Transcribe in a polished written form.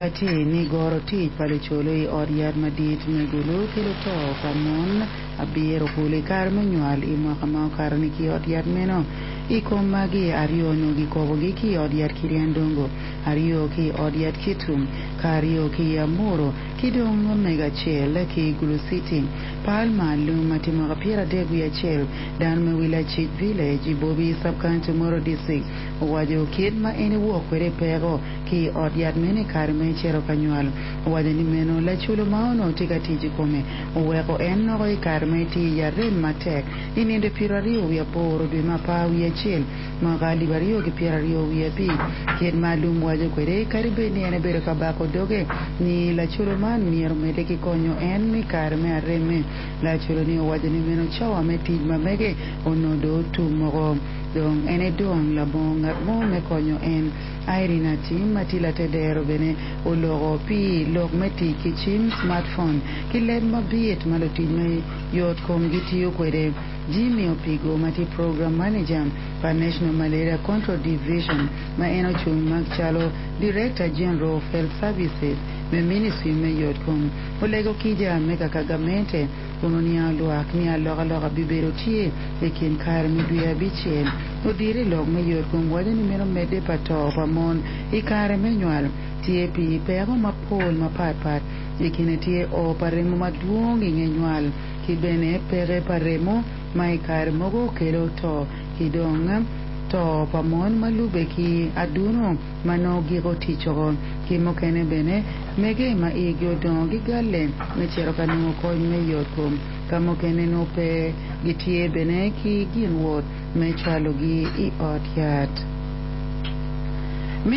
Tye ni goro tic pa lucolo i ot yat madit me Gulu kelo to pa mon abiro kulu i kare me nywal i mwaka ma okato-ni ki i ot yat meno. I kom magi, aryo onongo gikobogi ki i ot yat Kiryandongo, aryo ki i ot yat Kitgum, ka aryo ki i Amuru, ki dong omego acel ki i Gulu City. Palma Alum ma tye mwaka 31, dano me Wilacic Village i Bobi Sub-County, Omoro District, owaco kit ma en ewok kwede i peko ki i ot yat meno i kare ma ecito ka nywal. Owaco ni meno laculo ma onongo tye ka tic i kome oweko en noko i kare ma etye i arem matek i nindo 28 dwe me apar wiye acel mwaka 2025. Kit ma Alum waco kwede, kadi bed ni en ebedo ka bako doge ni laculo man myero omedde ki konyo en i kare me aremme, laculo-ni owaco ni meno cawa me tic ma mege onongo dong otum woko. Dong en edong labongo ngat mo me konyo en. Irene Atim ma tye latedero bene oloko pi lok me tic ki cim, smartphone, ki leb mabit ma lutic me yot kom gitiyo kwede. Jimmy Opigo ma tye Program Manager pa National Malaria Control Division ma en ocung macalo Director General of Health Services me Ministry me Yot Kom olego kica me kaka gamente kun oniango lwak ni alokaloka bibedo tye i kin kare me dwe abicel. Odiro i lok me yotkom waco ni meno medde pa to pa mon i kare me nywal tye pi peko mapol mapat pat, i kine tye o pa remo madwong i nge nywal ki bene peke pa remo ma i kare mogo kelo to ki dong to pa mon ma lube ki aduno ma nongo giko tic oko ki mukene bene mege ma igi odongo gigalle me cito ka nongo kony me yotkom ka mukene nongo pe gitye bene ki gin wot me cwalogi i ot yat.